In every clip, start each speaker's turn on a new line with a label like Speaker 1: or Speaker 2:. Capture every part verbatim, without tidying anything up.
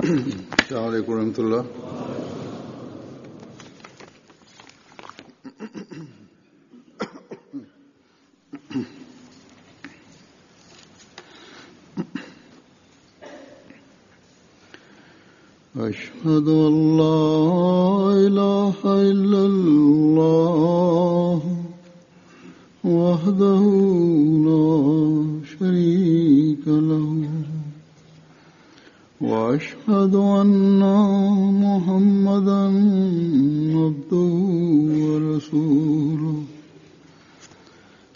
Speaker 1: अस्सलाम वालेकुम रहमतुल्लाह। अशहदु अल्ला इलाहा इल्लल्लाह वहदहु ला शरीका लहु وأشهد أن محمدا عبده ورسوله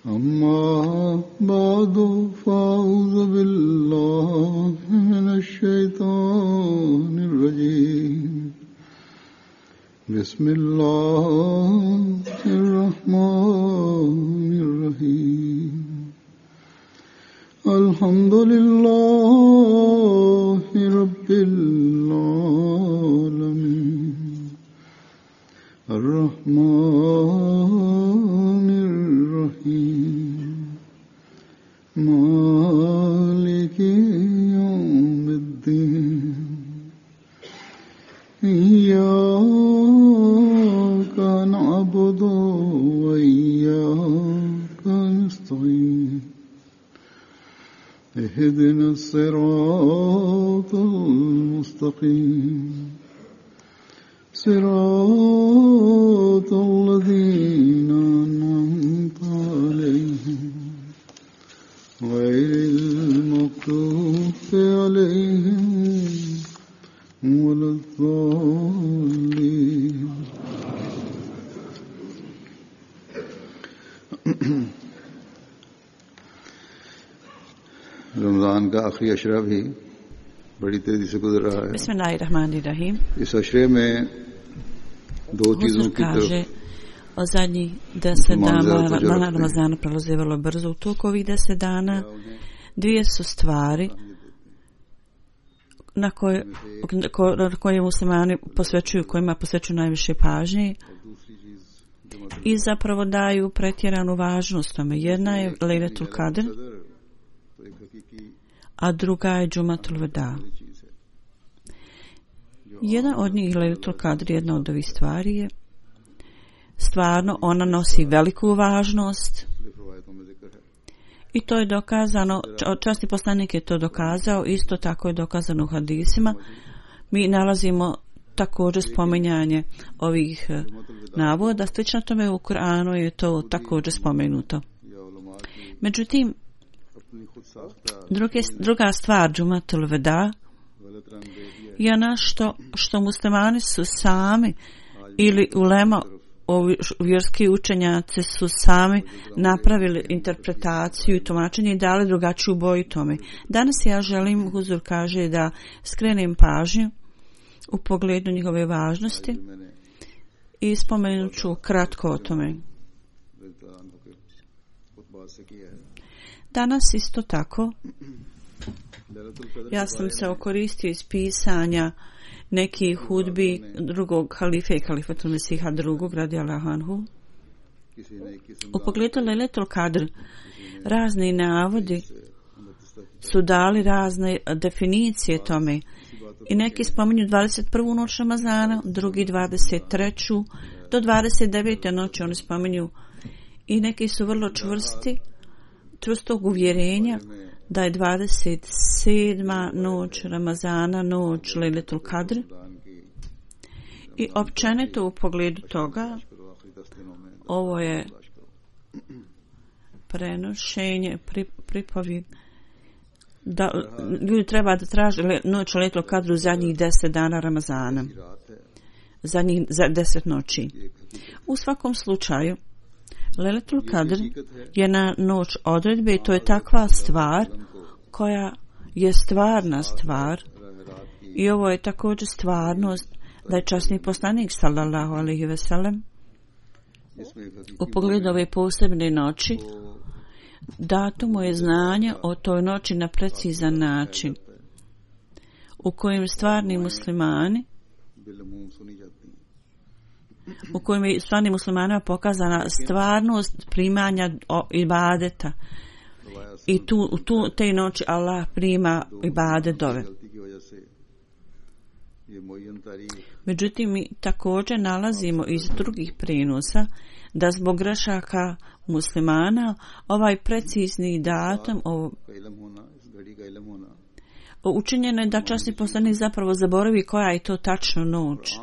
Speaker 1: أما بعد فأعوذ بالله من الشيطان الرجيم بسم الله الرحمن الرحيم الحمد لله رب العالمين الرحمن الرحيم مالك يوم الدين إياك نعبد وإياك نستعين اهدنا الصراط المستقيم صراط الذين أنعمت عليهم غير المغضوب عليهم ولا الضالين रमजान का आखिरी अशरा भी बड़ी तेजी से गुजर रहा है।
Speaker 2: Bismillahirrahmanirrahim.
Speaker 1: इस अशरे में दो चीजों की तरफ
Speaker 2: o zadnjih deset dana Ramazana prolaze vrlo brzo. U toku ovih deset dana dvije su stvari na koje, na koje muslimani posvećuju, kojima posvećuju najviše pažnje i zapravo daju pretjeranu važnost tome. Jedna je Lejletul Kadr, a druga je Džumatul Veda. Jedna od njih, Lejletul Kadr, jedna od ovih stvari je stvarno, ona nosi veliku važnost i to je dokazano, časni poslanik je to dokazao, isto tako je dokazano u hadisima. Mi nalazimo također spominjanje ovih navoda, slično tome u Kur'anu je to također spomenuto. Međutim, Druge, druga stvar Džumatul Veda je nešto što muslimani su sami ili ulema, ovi vjerski učenjaci su sami napravili interpretaciju i tumačenje i dali drugačiju boju tome. Danas ja želim, Huzur kaže, da skrenem pažnju u pogledu njihove važnosti i spomenut ću kratko o tome. Danas isto tako ja sam se okoristio iz pisanja nekih hudbi drugog halife, Halifatul Mesiha drugog radijallahu anhu. U pogledu Lejletul Kadr razni navodi su dali razne definicije tome i neki spominju dvadeset prvu noć Ramazana, drugi dvadeset treću do dvadeset devete noći oni spominju i neki su vrlo čvrsti čvrstog uvjerenja da je dvadeset sedma noć Ramazana noć Lejletul Kadr i općenito u pogledu toga ovo je prenošenje pri, pripovijed da ljudi treba da traže noć Lejletul Kadr u zadnjih deset dana Ramazana, zadnjih za deset noći. U svakom slučaju Lejletul Kadr je na noć odredbe i to je takva stvar koja je stvarna stvar i ovo je također stvarnost da je časni poslanik sallallahu alejhi ve sellem u pogledu ove posebne noći dato mu je znanje o toj noći na precizan način u kojem stvarni muslimani u kojem je stvarnim muslimanima pokazana stvarnost primanja ibadeta i tu, u tu, te noći Allah prima ibadet dove. Međutim, mi također nalazimo iz drugih prenosa da zbog grešaka muslimana ovaj precizni datum ovo, učinjeno je da časni poslanik zapravo zaboravi koja je to tačno noć.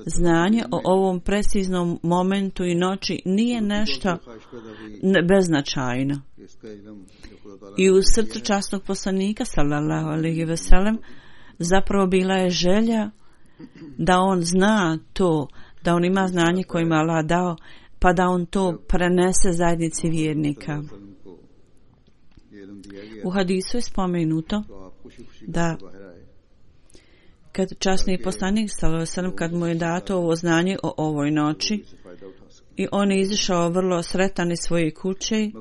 Speaker 2: Znanje o ovom preciznom momentu i noći nije nešto beznačajno. I u srcu časnog poslanika sallallahu alejhi ve sellem zapravo bila je želja da on zna to, da on ima znanje koje ima Allah dao, pa da on to prenese zajednici vjernika. U hadisu je spomenuto da kad časni poslanik sallallahu alejhi ve sellem, kad mu je dato ovo znanje o ovoj noći i on je izišao vrlo sretan iz svoje kuće,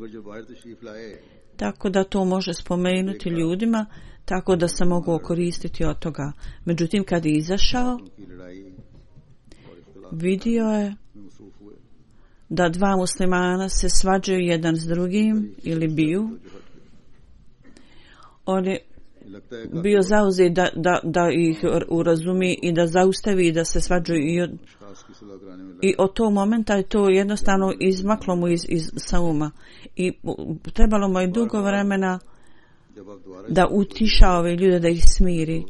Speaker 2: tako da to može spomenuti ljudima, tako da se mogu koristiti od toga. Međutim, kad je izašao, vidio je da dva muslimana se svađaju jedan s drugim ili biju. On je bio zauzet da, da, da ih urazumi i da zaustavi i da se svađaju i od, i od tog momenta je to jednostavno izmaklo mu iz, iz sauma i trebalo mu je dugo vremena da utiša ove ljude, da ih smiri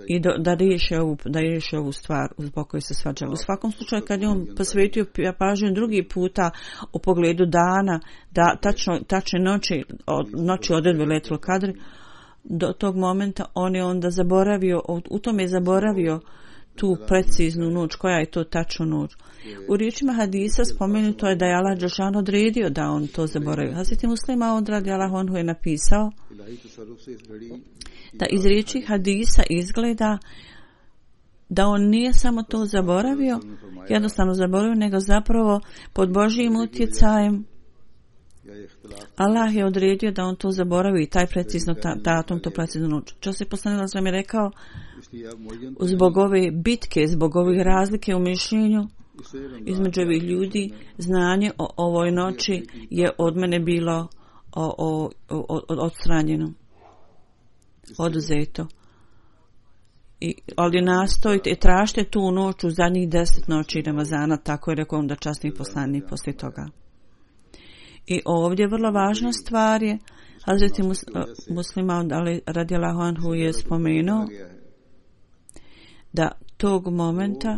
Speaker 2: i do, da riješi ovu, da riješi ovu stvar zbog koje se svađali. U svakom slučaju kad je on posvetio pažnju drugi puta u pogledu dana, da tačno, tačne noći, od, noći odredbe Lejletul Kadr, do tog momenta on je onda zaboravio, u tome je zaboravio tu preciznu noć, koja je to tačna noć. U riječima hadisa spomenuto je da je Allah dželešanu odredio da on to zaboravio. Hazreti Muslima od radijallahu anhu je napisao da iz riječi hadisa izgleda da on nije samo to zaboravio, jednostavno zaboravio, nego zapravo pod Božjim utjecajem Allah je odredio da on to zaboravi, taj precizno ta, datum, to precizno noć. Časni poslanik sam je rekao, zbog ove bitke, zbog ovih razlike u mišljenju između ovih ljudi, znanje o ovoj noći je od mene bilo o, o, o, odstranjeno, oduzeto. I, ali nastojite i tražite tu noć u zadnjih deset noći Ramazana, tako je rekao onda časni poslanik poslije toga. I ovdje vrlo važna stvar je, Hazreti mus, Muslima radijallahu anhu je spomenuo da tog momenta,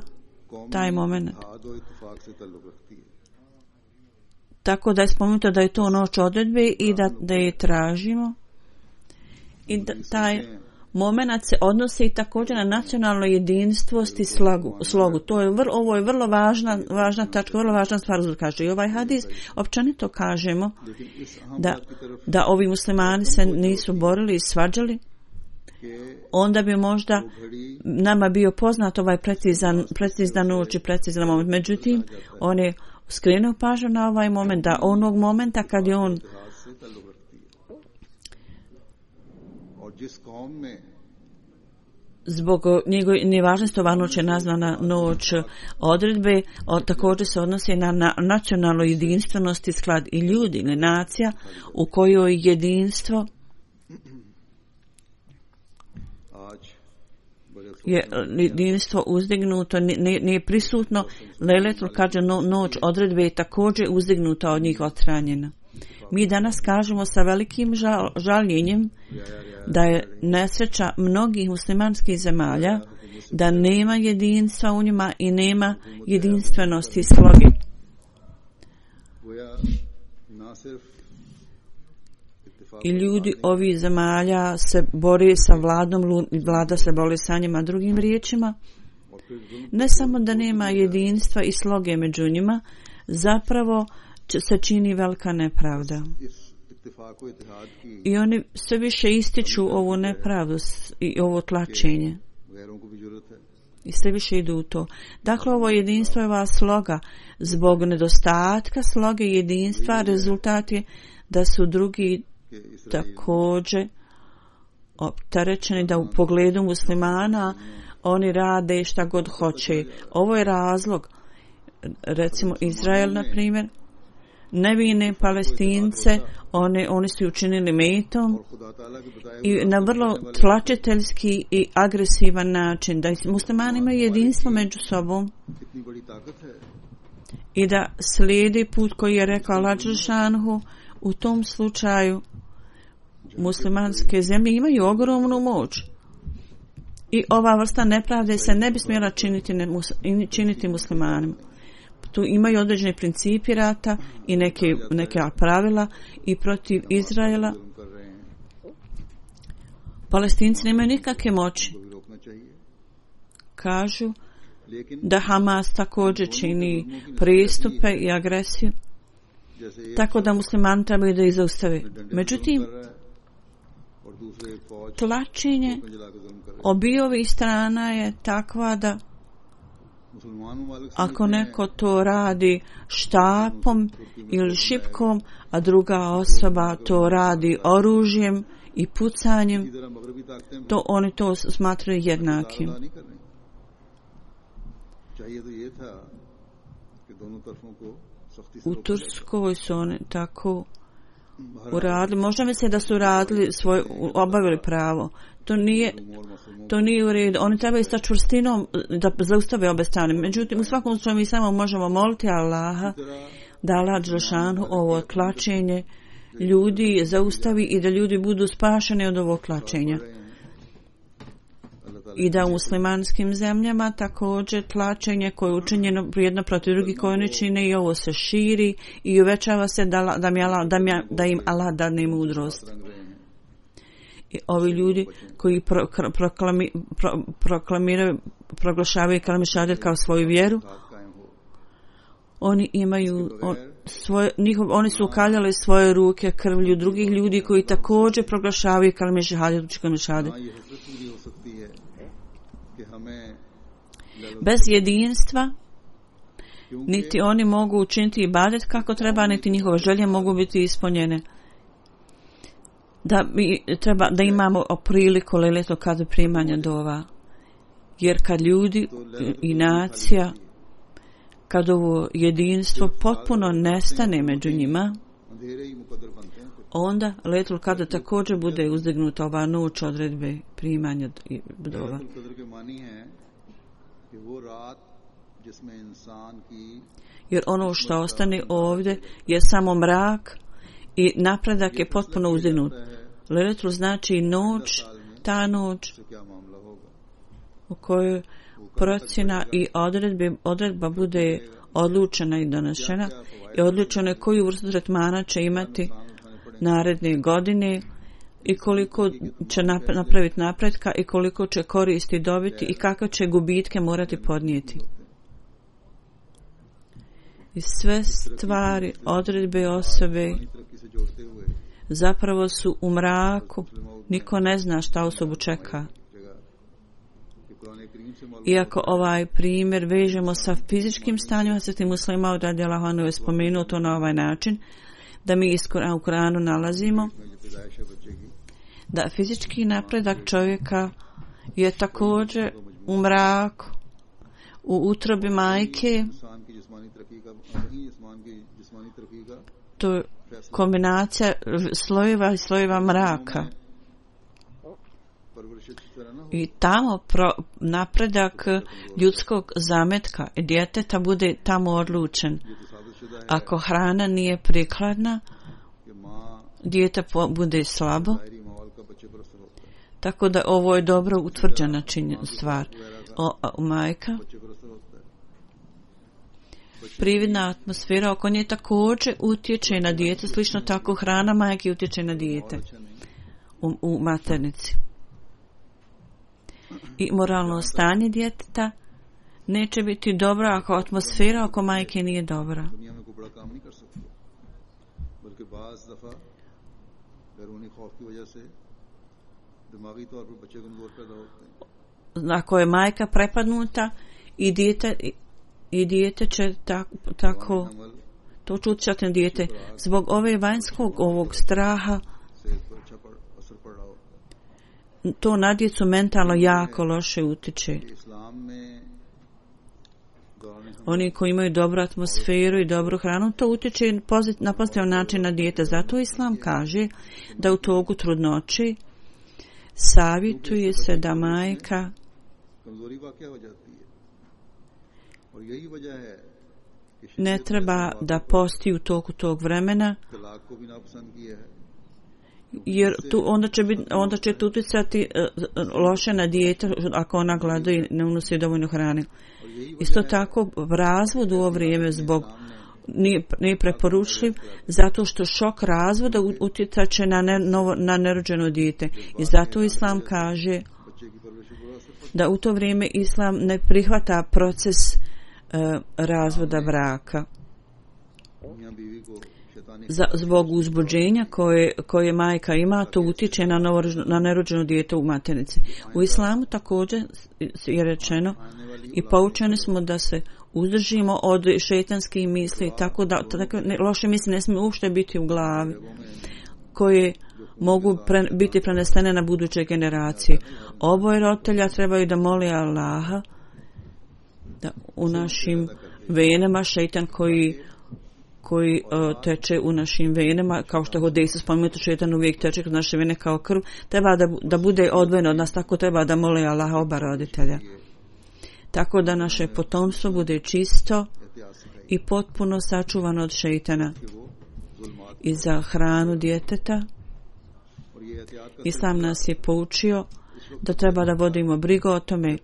Speaker 2: taj moment, tako da je spomenuto da je to noć odredbe i da, da je tražimo i da taj moment se odnosi također na nacionalno jedinstvost i slogu. slogu. To je vrlo, ovo je vrlo važna, važna tačka, vrlo važna stvar. Kaže. I ovaj hadis, općenito kažemo da, da ovi muslimani se nisu borili i svađali, onda bi možda nama bio poznat ovaj precizan, precizan noć i precizan moment. Međutim, on je skrenuo pažnju na ovaj moment, da onog momenta kad je on zbog njegove nevažnosti ova noć je nazvana noć odredbe, o, također se odnosi na, na nacionalnu jedinstvenost i sklad i ljudi ili nacija u kojoj jedinstvo je jedinstvo uzdignuto, nije, nije prisutno. Lejletul Kadr, no, noć odredbe je također uzdignuta od njih odstranjena. Mi danas kažemo sa velikim žal, žaljenjem da je nesreća mnogih muslimanskih zemalja, da nema jedinstva u njima i nema jedinstvenosti i sloge. I ljudi ovih zemalja se bore sa vladom, vlada se bori sa njima. Drugim riječima, ne samo da nema jedinstva i sloge među njima, zapravo se čini velika nepravda. I oni sve više ističu ovu nepravdu i ovo tlačenje. I sve više idu u to. Dakle, ovo jedinstvo je ova sloga. Zbog nedostatka sloge jedinstva, rezultat je da su drugi također opterećeni, da u pogledu muslimana oni rade šta god hoće. Ovo je razlog. Recimo Izrael, na primjer, nevine Palestince, oni, oni su učinili metom i na vrlo tlačiteljski i agresivan način, da muslimani imaju jedinstvo među sobom i da slijedi put koji je rekao Allah dželešanohu. U tom slučaju muslimanske zemlje imaju ogromnu moć i ova vrsta nepravde se ne bi smjela činiti, ne, činiti muslimanima. Tu imaju određeni principi rata i neke, neke pravila i protiv Izraela. Palestinci nemaju nikakve moći. Kažu da Hamas također čini pristupe i agresiju, tako da muslimani trebaju da ih zaustave. Međutim, tlačenje obiju strana je takva da ako neko to radi štapom ili šipkom, a druga osoba to radi oružjem i pucanjem, to oni to smatraju jednakim. U Turskoj su oni tako uradili. Možda misle da su radili svoj, obavili pravo. To nije, to nije u redu. Oni trebaju sa čvrstinom da zaustave obe strane. Međutim, u svakom slučaju mi samo možemo moliti Allaha da Allah dželešanu ovo tlačenje ljudi zaustavi i da ljudi budu spašeni od ovog tlačenja. I da u muslimanskim zemljama također tlačenje koje je učinjeno jedno protiv drugih koje oni čine i ovo se širi i uvećava se da, da, mi Allah, da, mi, da im Allah dadne mudrost. I ovi ljudi koji pro, proklami, pro, proklamiraju, proglašavaju kalime šahadet kao svoju vjeru, oni imaju on, svoje, njihov, oni su ukaljali svoje ruke krvlju drugih ljudi koji također proglašavaju kalime šahadet, kalime šahadet. Bez jedinstva niti oni mogu učiniti ibadet kako treba, niti njihove želje mogu biti ispunjene. Da, mi, treba, da imamo priliku lejletul kadr primanja dova. Jer kad ljudi i nacija, kad ovo jedinstvo potpuno nestane među njima, onda lejletul kadr također bude uzdignuta ova noć odredbe primanja dova. Jer ono što ostane ovdje je samo mrak i napredak je potpuno uzdignut. Lejletul znači noć, ta noć u kojoj procjena i odredbe, odredba bude odlučena i donešena i odlučeno je koju vrstu tretmana će imati naredne godine i koliko će napraviti napretka i koliko će koristi dobiti i kakve će gubitke morati podnijeti. I sve stvari, odredbe osobe zapravo su u mraku. Niko ne zna šta osobu čeka. Iako ovaj primjer vežemo sa fizičkim stanjem, Hazreti Muslima radijallahu anhu je spomenuo to na ovaj način, da mi u Kuranu nalazimo da fizički napredak čovjeka je također u mraku, u utrobi majke. To je kombinacija slojeva i slojeva mraka. I tamo pro, napredak ljudskog zametka i djeteta bude tamo odlučen. Ako hrana nije prikladna, dijete bude slabo. Tako da ovo je dobro utvrđena činjenica stvar. O, o, majka, prividna atmosfera oko nje također utječe na dijete, slično tako hrana majke utječe na dijete u, u maternici. I moralno stanje djeteta neće biti dobro ako atmosfera oko majke nije dobra. Ako je majka prepadnuta i dijete, i dijete će tak, tako to će utjecati na dijete. Zbog ove vanjskog ovog straha to na djecu mentalno jako loše utječe. oni koji imaju dobru atmosferu i dobru hranu, to utječe na pozitivan način na dijete. Zato Islam kaže da u toku trudnoći savjetuje se da majka ne treba da posti u toku tog vremena, jer tu onda će biti, onda će utjecati loše na dijete ako ona glada i ne unosi dovoljno hrane. Isto tako razvod u ovo vrijeme zbog nije, nije preporučljiv zato što šok razvoda utjecat će na, ne, novo, na nerođeno dijete. I zato Islam kaže da u to vrijeme Islam ne prihvata proces uh, razvoda braka. Za, zbog uzbuđenja koje, koje majka ima, to utječe na, novo, na nerođeno dijete u maternici. U Islamu također je rečeno i poučeni smo da se uzdržimo od šejtanskih misli, tako da tako, ne, loše misli ne smiju uopšte biti u glavi, koje mogu pre, biti prenesene na buduće generacije. Oboje roditelja trebaju da moli Allaha da u našim venama šejtan koji koji uh, teče u našim venama, kao što je Hodejsa spomenuto, šejtan uvijek teče kroz naše vene kao krv, treba da, da bude odvojen od nas, tako treba da moli Allaha oba roditelja. Tako da naše potomstvo bude čisto i potpuno sačuvano od šejtana. I za hranu djeteta Islam nas je poučio da treba da vodimo brigu o tome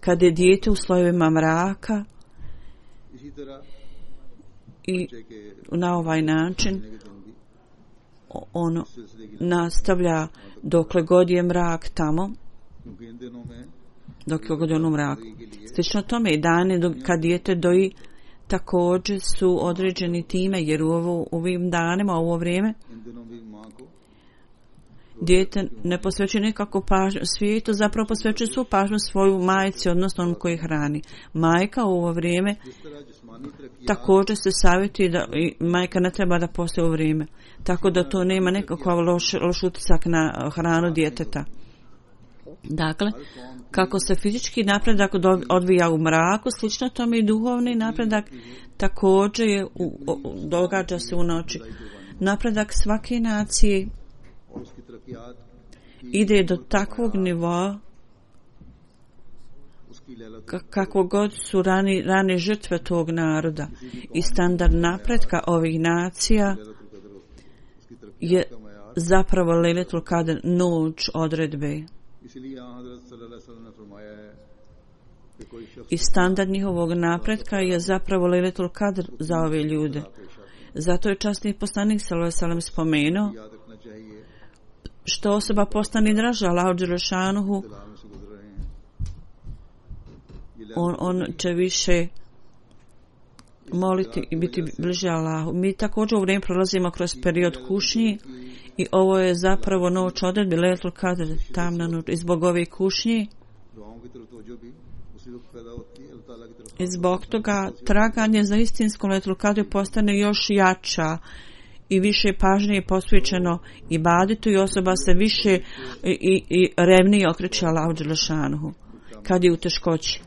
Speaker 2: kad je dijete u slojevima mraka i na ovaj način ono nastavlja dokle god je mrak tamo, dok je god je ono mrak. Slično tome i dane dok, kad dijete doji također su određeni time, jer u ovo, ovim danima, u ovo vrijeme dijete ne posvećuje nikako pažnju svijetu, zapravo posvećuje svu pažnju svoju majci, odnosno onom koji hrani. Majka u ovo vrijeme također se savjetuje da majka ne treba da postoji u vrijeme, tako da to nema nekakav loš, loš utisak na hranu djeteta. Dakle, kako se fizički napredak odvija u mraku, slično tome i duhovni napredak također je u, u, događa se u noći. Napredak svake nacije ide do takvog nivoa kako god su rani, rane žrtve tog naroda i standard napretka ovih nacija je zapravo Lejletul Kadr, noć odredbe. I standard njihovog napretka je zapravo Lejletul Kadr za ove ljude. Zato je časni poslanik sallallahu alejhi ve sellem spomenuo što osoba postane draža Allahu dželešanuhu, on, on će više moliti i biti bliže Allahu. Mi također u vrijeme prolazimo kroz period kušnji i ovo je zapravo noć odredbe, Lejletul Kadr, tamna noć. I zbog ove kušnje i zbog toga traganje za istinskom Lejletul Kadru postane još jača i više pažnje je posvećeno ibadetu i osoba se više i, i, i revnije okreće Allahu dželešanuhu kad je u teškoći.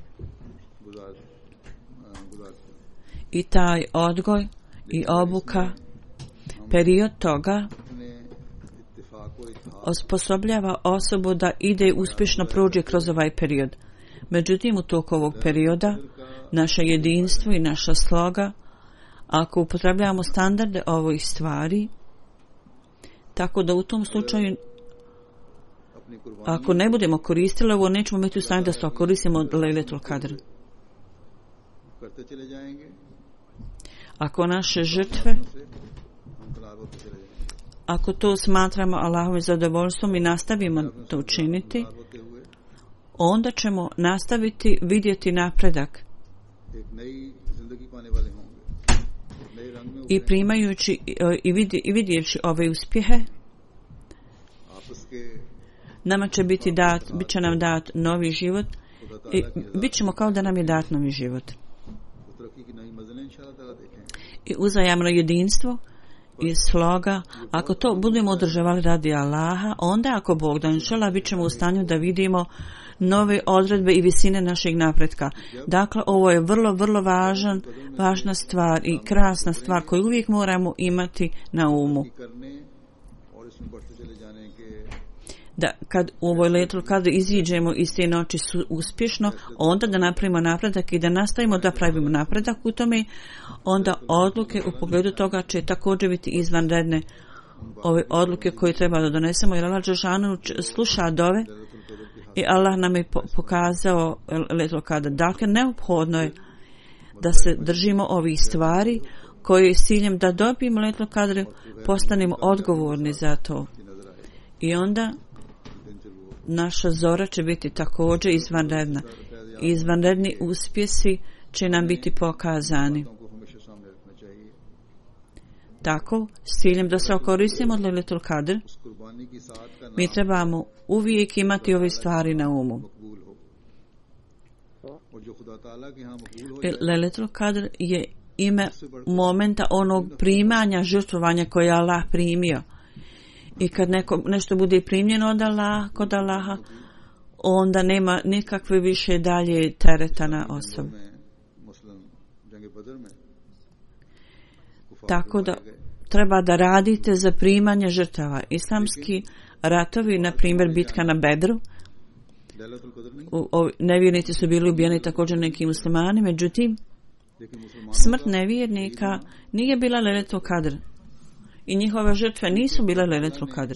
Speaker 2: I taj odgoj i obuka, period toga osposobljava osobu da ide uspješno prođe kroz ovaj period. Međutim, u toku ovog perioda naše jedinstvo i naša sloga, ako upotrebljavamo standarde ovih stvari, tako da u tom slučaju ako ne budemo koristili ovo, nećemo biti u stanju da se koristimo od Lejletul Kadr. Ako naše žrtve, ako to smatramo Allahovim zadovoljstvom i nastavimo to učiniti, onda ćemo nastaviti vidjeti napredak. I primajući i, vidi, i vidjevši ove uspjehe, nama će biti dat, bit će nam dat novi život i bit ćemo kao da nam je dat novi život. I uzajamno jedinstvo i sloga, ako to budemo održavali radi Allaha, onda ako Bog da inšala bit ćemo u stanju da vidimo nove odredbe i visine našeg napretka. Dakle, ovo je vrlo, vrlo važan, važna stvar i krasna stvar koju uvijek moramo imati na umu. Da kad u ovoj letru kada iziđemo iz te noći su uspješno, onda da napravimo napredak i da nastavimo da pravimo napredak u tome, onda odluke u pogledu toga će također biti izvanredne. Ove odluke koje treba da donesemo, jer Allah dželešanu sluša dove i Allah nam je pokazao letru kada. Dakle, neophodno je da se držimo ovih stvari koje je s ciljem da dobijemo letru kada postanemo odgovorni za to. I onda naša zora će biti također izvanredna. Izvanredni uspjesi će nam biti pokazani. Tako, s ciljem da se okoristimo od Lejletul Kadr, mi trebamo uvijek imati ove stvari na umu. Lejletul Kadr je ime momenta onog primanja, žrtvovanja koje je Allah primio. I kad neko, nešto bude primljeno od Allaha, kod Allaha, onda nema nikakve više dalje tereta na osobu. Tako da treba da radite za primanje žrtava. Islamski ratovi, na primjer bitka na Bedru, u, o, nevjernici su bili ubijeni također neki muslimani, međutim smrt nevjernika nije bila Lejletul Kadr i njihove žrtve nisu bile Lejletul Kadr.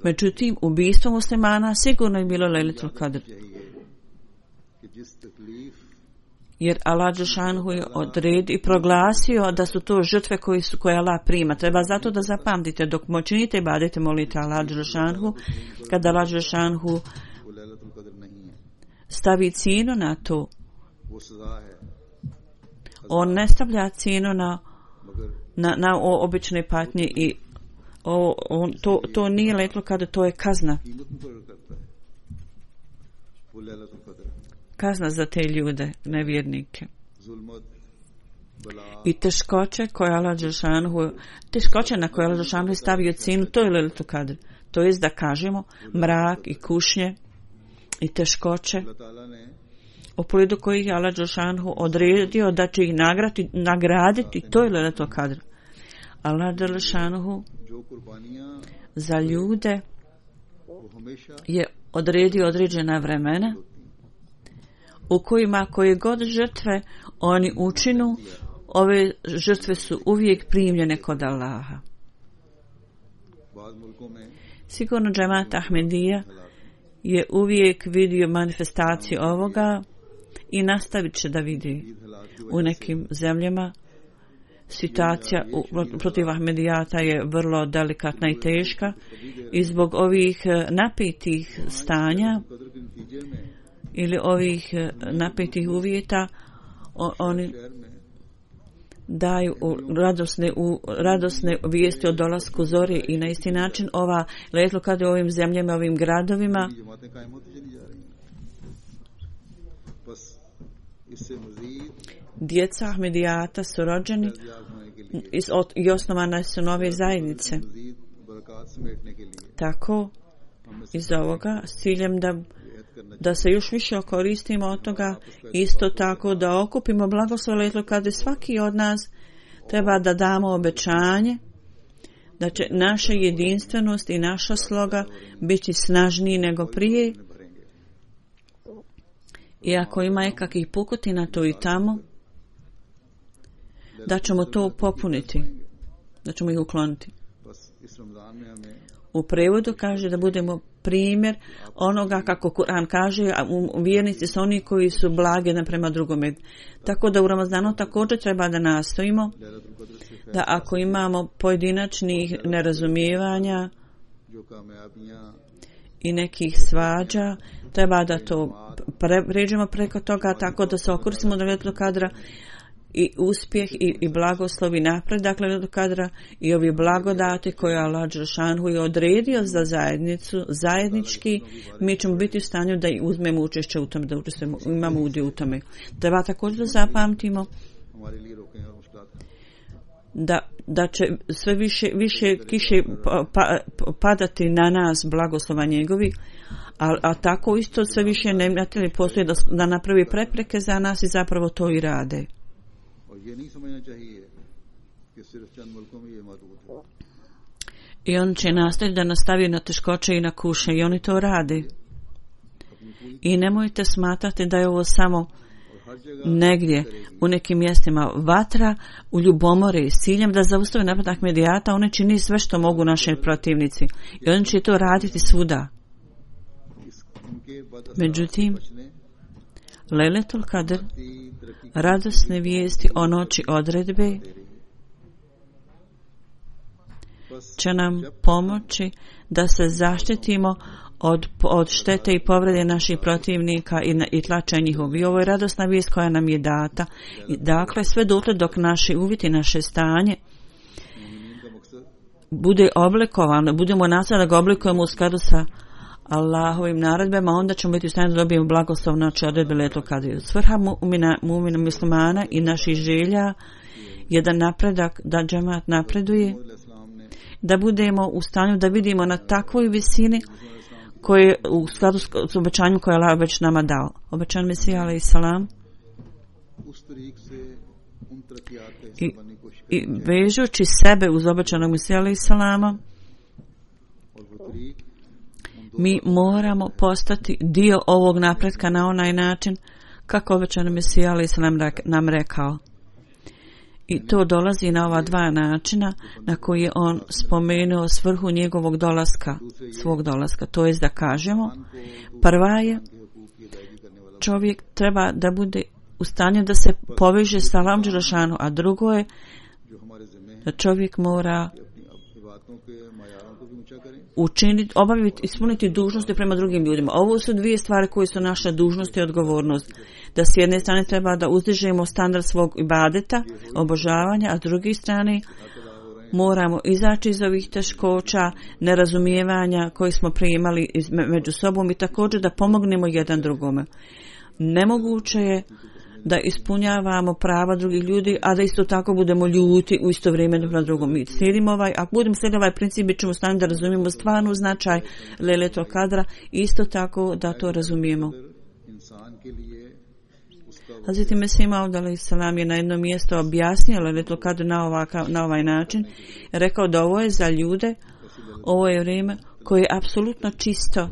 Speaker 2: Međutim, ubijstvo muslimana sigurno je bilo Lejletul Kadr. Jer Allah dželešanu je odredio i proglasio da su to žrtve koje, su, koje Allah prima. Treba zato da zapamtite, dok činite ibadete, molite Allah dželešanu, kada Allah dželešanu stavi cijenu na to, on ne stavlja cijenu na, na, na obične patnje i o, on, to, to nije letlo kada to je kazna. Kazna za te ljude, nevjernike. I teškoće koje Allah dželešanu, teškoće na koje Allah dželešanu stavio cijenu, to je Lejletul Kadr. To jest da kažemo mrak i kušnje i teškoće u pogledu kojih je Allah dželešanu odredio da će ih nagrati, nagraditi, to je Lejletul Kadr. Allah dželešanu za ljude je odredio određena vremena u kojima koje god žrtve oni učinu, ove žrtve su uvijek primljene kod Allaha. Sigurno džemat Ahmedija je uvijek vidio manifestaciju ovoga i nastavit će da vidi. U nekim zemljama situacija u, protiv Ahmedijata je vrlo delikatna i teška i zbog ovih napetih stanja ili ovih napetih uvjeta o, oni daju radosne, u, radosne vijesti o dolasku zore i na isti način ova Lejletul Kadr u ovim zemljama, ovim gradovima djeca Ahmedijata su rođeni i osnovane su nove zajednice. Tako iz ovoga s ciljem da da se još više koristimo od toga, isto tako da okupimo blagoslov Lejletul Kadr. Svaki od nas treba da damo obećanje da će naša jedinstvenost i naša sloga biti snažniji nego prije. I ako ima nekakvih pukotina tu i tamo, da ćemo to popuniti, da ćemo ih ukloniti. U prevodu kaže da budemo primjer onoga kako Kur'an kaže, a vjernici su oni koji su blage prema drugome. Tako da u Ramazanu također treba da nastojimo da ako imamo pojedinačnih nerazumijevanja i nekih svađa, treba da to pre, pređemo preko toga tako da se okoristimo do Lejletul Kadra i uspjeh i, i blagoslov i napredak Lejletul Kadra i ovi blagodati koje Allah dželešanu je odredio za zajednicu, zajednički, mi ćemo biti u stanju da uzmemo učešće u tome, da učestvujemo, imamo udio u tome. Treba također da zapamtimo da, da će sve više, više kiše pa, pa, padati na nas blagoslova njegovi, a, a tako isto sve više neprijatelji postoje da, da napravi prepreke za nas i zapravo to i rade. I on će nastaviti da nastavi na teškoće i na kuše i oni to rade. I nemojte smatrati da je ovo samo negdje u nekim mjestima vatra u ljubomori s ciljem da zaustave napad Ahmedijata. Oni čini sve što mogu naši protivnici i oni će to raditi svuda. Međutim, Lejletul Kadr, radosne vijesti o noći odredbe, će nam pomoći da se zaštitimo od, od štete i povrede naših protivnika i, i tlača njihov. I ovo je radosna vijest koja nam je data. I dakle, sve dotle dok naši uvjeti, naše stanje bude oblikovano, budemo nastaviti da ga oblikujemo u skladu sa Allahovim naredbama, onda ćemo biti u stanju da dobijemo blagoslov noći odredbe Lejletul Kadra. Svrha mu'mina, mu'mina muslimana i naših želja je da napredak, da džemat napreduje, da budemo u stanju da vidimo na takvoj visini koje u skladu s obećanjem koje je Allah već nama dao. Obećan Mesija alejhi salam i, i vežući sebe uz obećanog Mesija alejhi salama, mi moramo postati dio ovog napretka na onaj način kako obećan Mesija alejhi salam nam rekao. I to dolazi na ova dva načina na koji je on spomenuo svrhu njegovog dolaska, svog dolaska. To jest da kažemo, prva je, čovjek treba da bude u stanju da se poveže sa Allahom dželešanu, a drugo je da čovjek mora učiniti, obaviti, ispuniti dužnosti prema drugim ljudima. Ovo su dvije stvari koje su naša dužnost i odgovornost. Da s jedne strane treba da uzdižemo standard svog ibadeta, obožavanja, a s druge strane moramo izaći iz ovih teškoća, nerazumijevanja koji smo primali među sobom i također da pomognemo jedan drugome. Nemoguće je da ispunjavamo prava drugih ljudi, a da isto tako budemo ljuti u isto vrijeme na drugom. Mi slijedimo ovaj, ako budemo slijediti ovaj princip, bit ćemo stanju da razumijemo stvarnu značaj Lejletul Kadra i isto tako da to razumijemo. Hazreti Mesih Maud alejhi salam je na jednom mjestu objasnio Lejletul Kadr na, ovaka, na ovaj način. Rekao da ovo je za ljude, ovo je vrijeme koje je apsolutno čisto.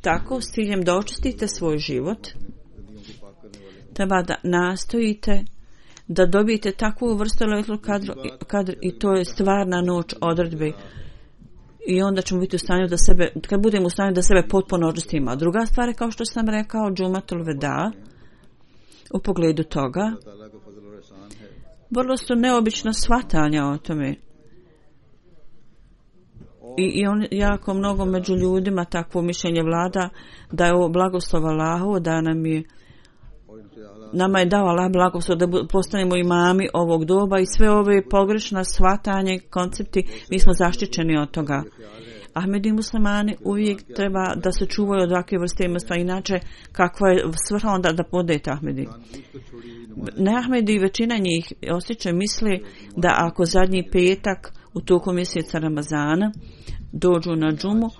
Speaker 2: Tako, s ciljem da očistite svoj život, treba da nastojite da dobijete takvu vrstu Lejletul Kadr i to je stvarna noć odredbe. I onda ćemo biti u stanju da sebe, kad budemo u stanju da sebe potpuno očistimo. A druga stvar je, kao što sam rekao, Džumatul Veda, u pogledu toga, vrlo su neobična shvatanja o tome. I, i on jako mnogo među ljudima takvo mišljenje vlada da je ovo blagoslov Allahu, da nam je nama je dao Allah blagoslov da postanemo imami ovog doba i sve ove pogrešna shvatanje, koncepti, mi smo zaštićeni od toga. Ahmedi muslimani uvijek treba da se čuvaju od ovakve vrste imstva, inače kakva je svrha onda da podete Ahmedi. Ne Ahmedi, većina njih osjeća misli da ako zadnji petak u toku mjeseca Ramazana dođu na džumu,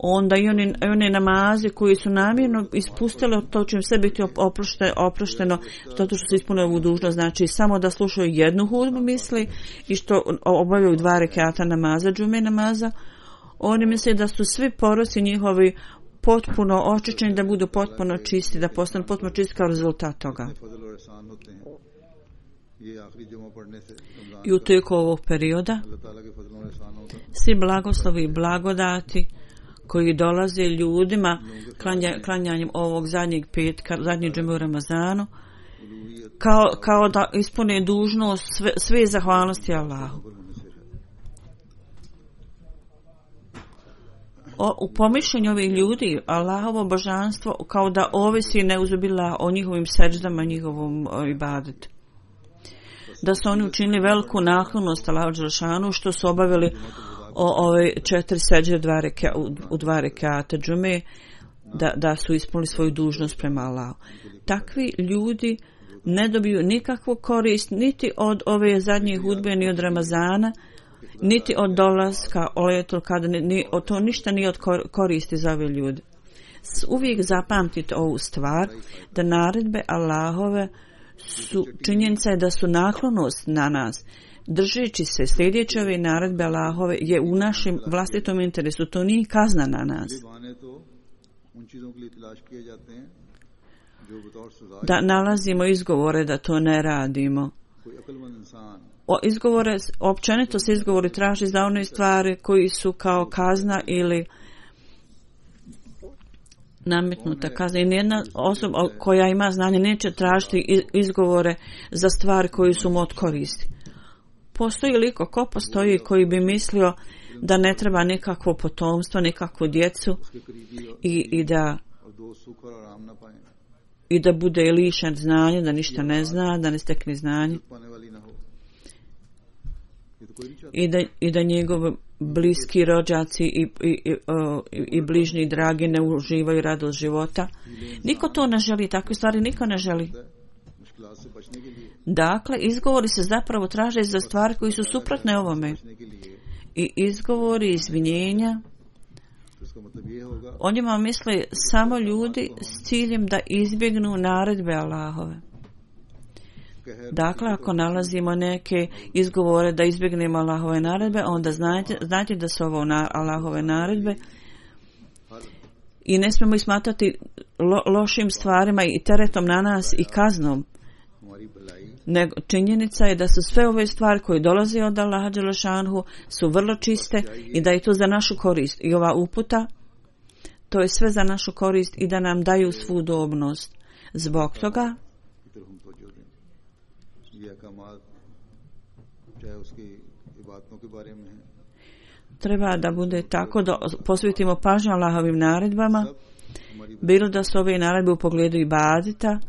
Speaker 2: onda i oni, one namaze koji su namjerno ispustili, to će im sve biti oprošte, oprošteno zato što su ispunili ovu dužnost. Znači samo da slušaju jednu hudbu misli i što obavljaju dva rekata namaza, džume namaza. Oni misle da su svi poroci njihovi potpuno očišćeni, da budu potpuno čisti, da postanu potpuno čisti kao rezultat toga. I u tijeku ovog perioda svi blagoslovi i blagodati koji dolaze ljudima klanja, klanjanjem ovog zadnjeg petka, zadnjeg džume u Ramazanu, kao, kao da ispune dužnost sve, sve zahvalnosti Allahu. O, u pomišljenju ovih ljudi Allahovo božanstvo kao da ovisi neuzubila o njihovim seđdama, njihovom ibadetu. Da su oni učinili veliku naklonost Allahu dželešanu što su obavili o ove četiri seđde dva reka, u, u dva rekata džume, da, da su ispunili svoju dužnost prema Allahu. Takvi ljudi ne dobiju nikakvu korist niti od ove zadnje hudbe, ni od Ramazana, niti od dolaska Lejletul Kadra, ni od to ništa nije od koristi za ove ljude. Uvijek zapamtite ovu stvar, da naredbe Allahove su, činjenica je da su naklonost na nas. Držeći se, sljedeći ove naredbe Allahove je u našem vlastitom interesu, to nije kazna na nas. Da nalazimo izgovore da to ne radimo. O izgovore, općenito se izgovori traži za one stvari koji su kao kazna ili nametnuta kazna. I nijedna osoba koja ima znanje neće tražiti izgovore za stvari koji su mu od koristi. Postoji liko ko postoji koji bi mislio da ne treba nikakvo potomstvo, nikakvu djecu i, i da i da bude lišen znanja, da ništa ne zna, da ne stekne znanje i da, i da njegovi bliski rođaci i, i, i, i bližnji dragi ne uživaju radost života. Niko to ne želi, takve stvari niko ne želi. Dakle, izgovori se zapravo traže za stvari koji su suprotne ovome. I izgovori, izvinjenja, o njima misle samo ljudi s ciljem da izbjegnu naredbe Allahove. Dakle, ako nalazimo neke izgovore da izbjegnemo Allahove naredbe, onda znajte, znajte da su ovo na, Allahove naredbe i ne smijemo ih smatrati lo, lošim stvarima i teretom na nas i kaznom. Nego činjenica je da su sve ove stvari koje dolaze od Allaha dželešanhu su vrlo čiste i da je to za našu korist. I ova uputa, to je sve za našu korist i da nam daju svu udobnost. Zbog toga treba da bude tako da posvetimo pažnju Allahovim naredbama, bilo da su ove naredbe u pogledu ibadeta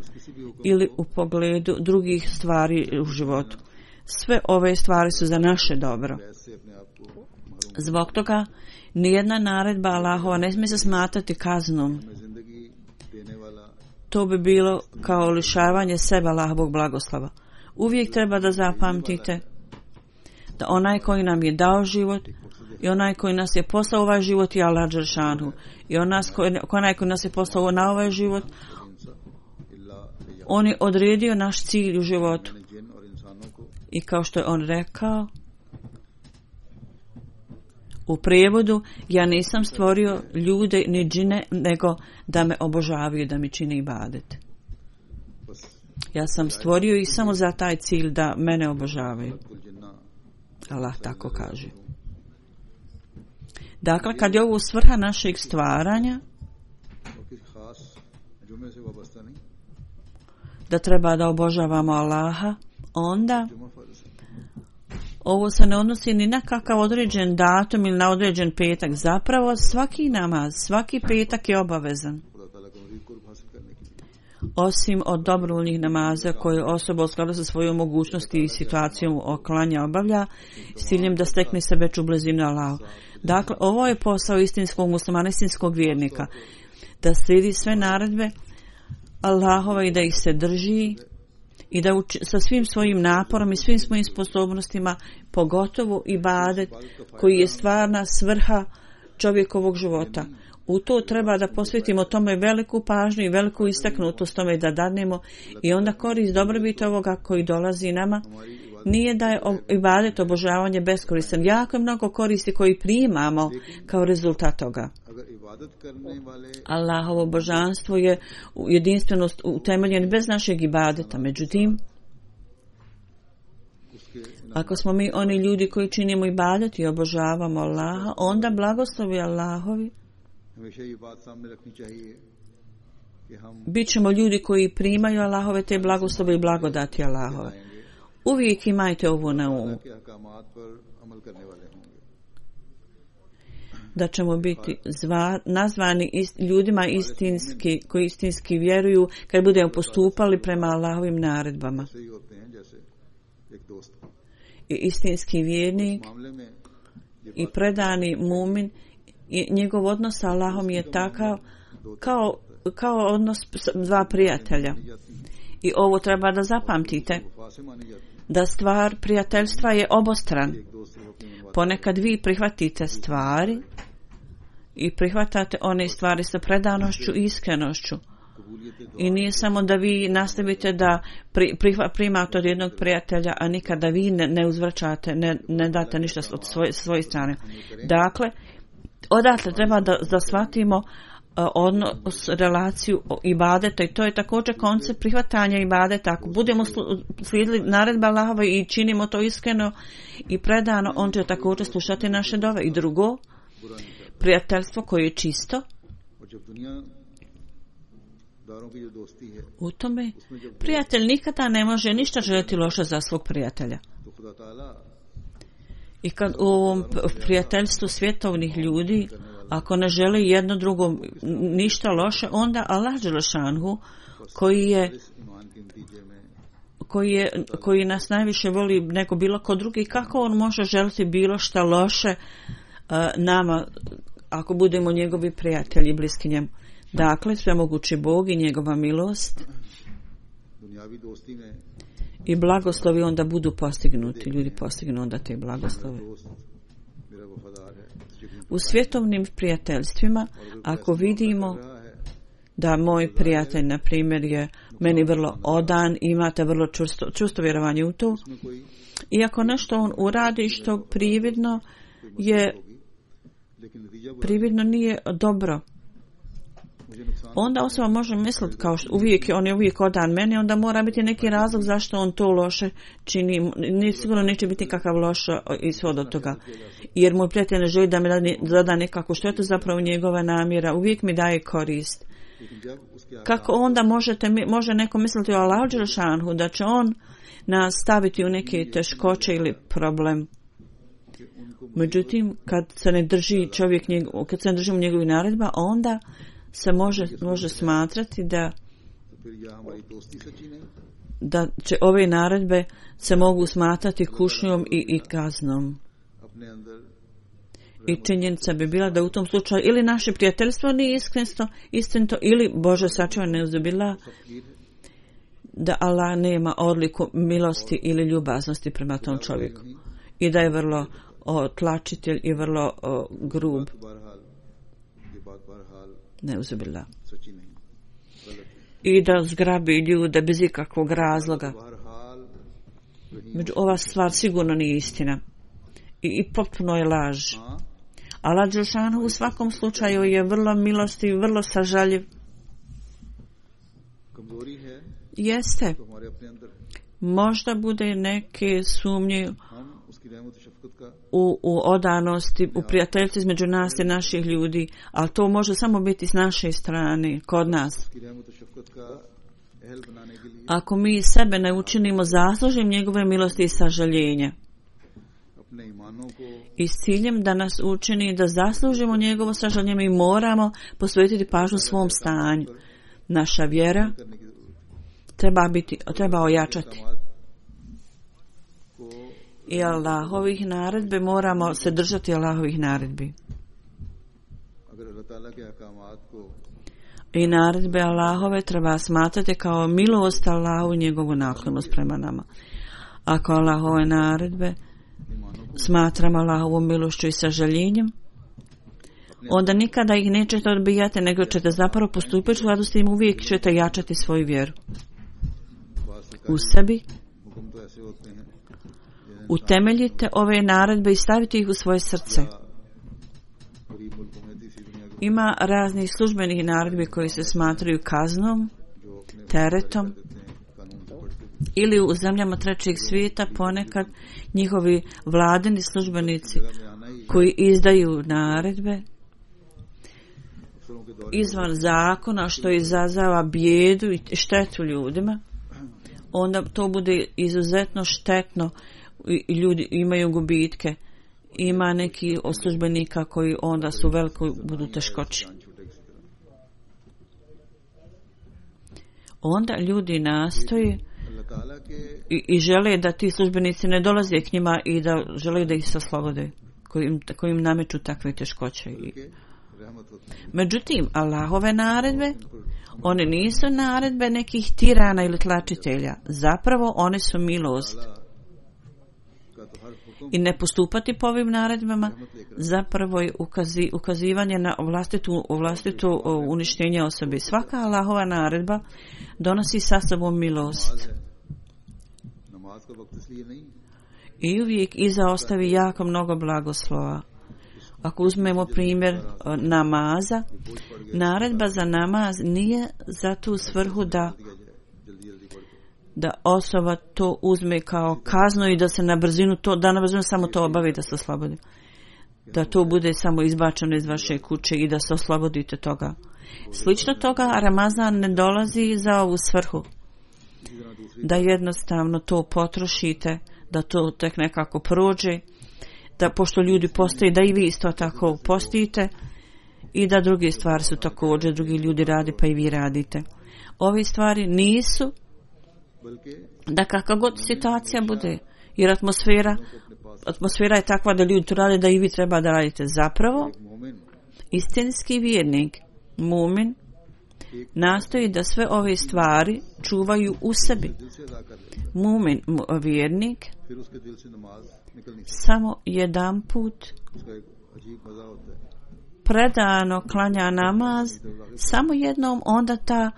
Speaker 2: ili u pogledu drugih stvari u životu. Sve ove stvari su za naše dobro. Zbog toga nijedna naredba Allahova ne smije se smatrati kaznom. To bi bilo kao lišavanje sebe Allahovog blagoslova. Uvijek treba da zapamtite da onaj koji nam je dao život i onaj koji nas je poslao ovaj život je Allah dželešanu. I onaj koji, onaj koji nas je poslao na ovaj život, on je odredio naš cilj u životu. I kao što je on rekao u prijevodu, ja nisam stvorio ljude ni džine, nego da me obožavaju, da mi čine ibadet. Ja sam stvorio ih samo za taj cilj da mene obožavaju. Allah tako kaže. Dakle, kad je ovo svrha našeg stvaranja, da treba da obožavamo Allaha, onda ovo se ne odnosi ni na kakav određen datum ili na određen petak. Zapravo svaki namaz, svaki petak je obavezan. Osim od dobrovoljnih namaza koje osoba u skladu sa svojom mogućnosti i situacijom oklanja obavlja s ciljem da stekne se veću blizinu Allahu. Dakle, ovo je posao istinskog muslimana, istinskog vjernika, da slijedi sve naredbe Allahova i da ih se drži i da uči, sa svim svojim naporom i svim svojim sposobnostima, pogotovo ibadet koji je stvarna svrha čovjekovog života. U to treba da posvetimo tome veliku pažnju i veliku istaknutost tome da dadnemo i onda korist dobrobit ovoga koji dolazi nama nije da je ibadet obožavanje beskoristan. Jako je mnogo koristi koji primamo kao rezultat toga. Allahovo božanstvo je jedinstvenost utemeljen bez našeg ibadeta. Međutim, ako smo mi oni ljudi koji činimo ibadet i obožavamo Allaha, onda blagoslovi Allahovi bit ćemo ljudi koji primaju Allahove te blagoslove i blagodati Allahove. Uvijek imajte ovo na umu. Da ćemo biti zva, nazvani ist, ljudima istinski, koji istinski vjeruju kad budemo postupali prema Allahovim naredbama. I istinski vjernik i predani mumin i njegov odnos sa Allahom je takav kao, kao odnos dva prijatelja. I ovo treba da zapamtite, da stvar prijateljstva je obostran. Ponekad vi prihvatite stvari i prihvatate one stvari sa predanošću i iskrenošću. I nije samo da vi nastavite da pri, prihva, primate od jednog prijatelja, a nikada vi ne, ne uzvraćate, ne, ne date ništa od svoje, svoje strane. Dakle, odatle treba da, da shvatimo uh, odnos, relaciju ibadeta, i to je također koncept prihvatanja ibadeta. Ako budemo slijedili naredba Allahova i činimo to iskreno i predano, on će također slušati naše dove. I drugo, prijateljstvo koje je čisto, u tome prijatelj nikada ne može ništa željeti loše za svog prijatelja. I kad u ovom prijateljstvu svjetovnih ljudi, ako ne žele jedno drugom ništa loše, onda Allah dželešanhu, koji je koji je koji nas najviše voli nego bilo ko drugi, kako on može želiti bilo šta loše uh, nama ako budemo njegovi prijatelji bliski njemu? Dakle, svemogući Bog i njegova milost i blagoslovi onda budu postignuti. Ljudi postignu onda te blagoslove. U svjetovnim prijateljstvima, ako vidimo da moj prijatelj, na primjer, je meni vrlo odan, imate vrlo čusto, čusto vjerovanje u to, i ako nešto on uradi što prividno je prividno nije dobro, onda osoba može misliti kao što uvijek, on je uvijek odan meni, onda mora biti neki razlog zašto on to loše čini. Nije sigurno neće biti kakav loš ishod od toga. Jer moj prijatelj ne želi da mi zada nekakvu štetu, zapravo njegova namjera uvijek mi daje korist. Kako onda možete, može neko misliti o Allahu dželešanhu da će on nas staviti u neke teškoće ili problem? Međutim, kad se ne drži čovjek njegov, kad se ne držimo njegovih naredba, onda se može, može smatrati da da će ove naredbe se mogu smatrati kušnjom i, i kaznom. I činjenica bi bila da u tom slučaju ili naše prijateljstvo nije istinito, istinito ili Bože sačuvaj ne uzubila, da Allah nema odliku milosti ili ljubaznosti prema tom čovjeku i da je vrlo o, tlačitelj i vrlo o, grub. Ne uzubila. I da zgrabi ljude bez ikakvog razloga. Među ova stvar sigurno nije istina. I, i potpuno je laž. Allah dželešanhu u svakom slučaju je vrlo milostiv, vrlo sažaljiv. Jeste. Možda bude neke sumnje u, u odanosti, u prijateljstvu između nas i naših ljudi, ali to može samo biti s naše strane, kod nas. Ako mi sebe ne učinimo zaslužnim njegove milosti i sažaljenja i s ciljem da nas učini da zaslužimo njegovo sažaljenje, mi moramo posvetiti pažnju svom stanju. Naša vjera treba biti, treba ojačati. I Allahovih naredbi, moramo se držati Allahovih naredbi. I naredbe Allahove treba smatrati kao milost Allahu i njegovu naklonost prema nama. Ako Allahove naredbe smatramo Allahovom milošću i sažaljenjem, onda nikada ih nećete odbijati, nego ćete zapravo postupiti u skladu s tim, uvijek ćete jačati svoju vjeru u sebi. Utemeljite ove naredbe i stavite ih u svoje srce. Ima raznih službenih naredbi koji se smatraju kaznom, teretom, ili u zemljama trećeg svijeta ponekad njihovi vladini službenici koji izdaju naredbe izvan zakona, što izazava bijedu i štetu ljudima, onda to bude izuzetno štetno i ljudi imaju gubitke. Ima neki od službenika koji onda su veliko budu teškoći. Onda ljudi nastoje i, i žele da ti službenici ne dolaze k njima i da žele da ih se oslobode, koji im, koji im nameću takve teškoće. I Međutim, Allahove naredbe, one nisu naredbe nekih tirana ili tlačitelja. Zapravo, one su milost. I ne postupati po ovim naredbama zapravo je ukazi, ukazivanje na vlastitu, vlastitu uništenje osobe. Svaka Allahova naredba donosi sa sobom milost. I uvijek iza ostavi jako mnogo blagoslova. Ako uzmemo primjer namaza, naredba za namaz nije za tu svrhu da da osoba to uzme kao kaznu i da se na brzinu to, da na brzinu samo to obavi da se oslobodi. Da to bude samo izbačeno iz vaše kuće i da se oslobodite toga. Slično toga, Ramazan ne dolazi za ovu svrhu. Da jednostavno to potrošite, da to tek nekako prođe, da pošto ljudi postoje, da i vi isto tako postite i da druge stvari su također, drugi ljudi radi pa i vi radite. Ove stvari nisu da kakva god situacija bude, jer atmosfera atmosfera je takva da ljudi to rade, da i vi treba da radite. Zapravo, istinski vjernik, mumin, nastoji da sve ove stvari čuvaju u sebi. Mumin, vjernik, samo jedan put predano klanja namaz, samo jednom, onda ta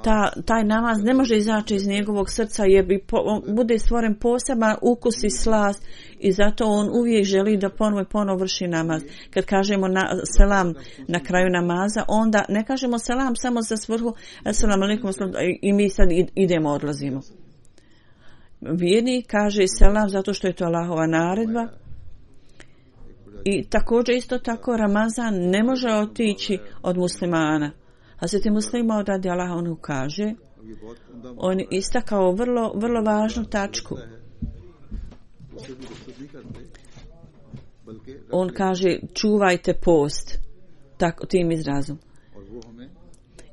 Speaker 2: Ta, taj namaz ne može izaći iz njegovog srca jer bi po, bude stvoren poseban ukus i slast i zato on uvijek želi da ponovo i ponovo vrši namaz. Kad kažemo na, selam na kraju namaza, onda ne kažemo selam samo za svrhu selam alejkum i mi sad idemo, odlazimo. Vjernik kaže selam zato što je to Allahova naredba. I također isto tako Ramazan ne može otići od muslimana. Hazreti Muslima radi Allah on kaže, on istakao vrlo, vrlo važnu tačku. On kaže čuvajte post, tako tim izrazom.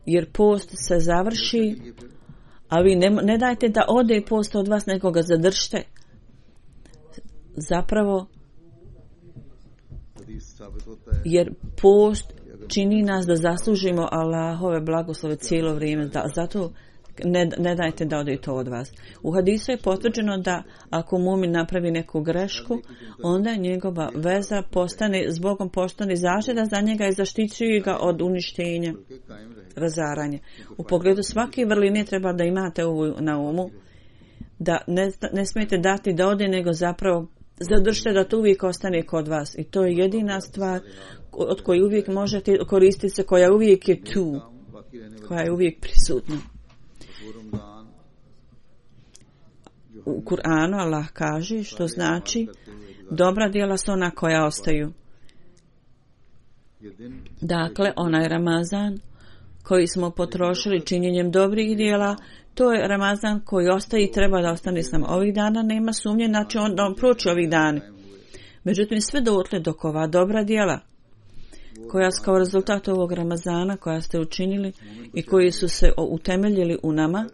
Speaker 2: Jer post se završi, a vi ne, ne dajte da ode post od vas, nego ga zadržite. Zapravo, jer post čini nas da zaslužimo Allahove blagoslove cijelo vrijeme. Da, zato ne, ne dajte da ode to od vas. U hadisu je potvrđeno da ako mumin napravi neku grešku, onda njegova veza postane, s Bogom postane zaštita za njega i zaštićuje ga od uništenja, razaranja. U pogledu svake vrline treba da imate ovo na umu, da ne, ne smijete dati da ode, nego zapravo zadržite da to uvijek ostane kod vas. I to je jedina stvar od koje uvijek možete koristiti se, koja uvijek je tu, koja je uvijek prisutna. U Kur'anu Allah kaže, što znači dobra djela su ona koja ostaju. Dakle, onaj Ramazan koji smo potrošili činjenjem dobrih djela, to je Ramazan koji ostaje i treba da ostane s nama. Ovih dana nema sumnje, znači on, on proći ovih dana. Međutim, sve dotle dok ova dobra djela koja su kao rezultat ovog Ramazana koja ste učinili i koji su se utemeljili u nama,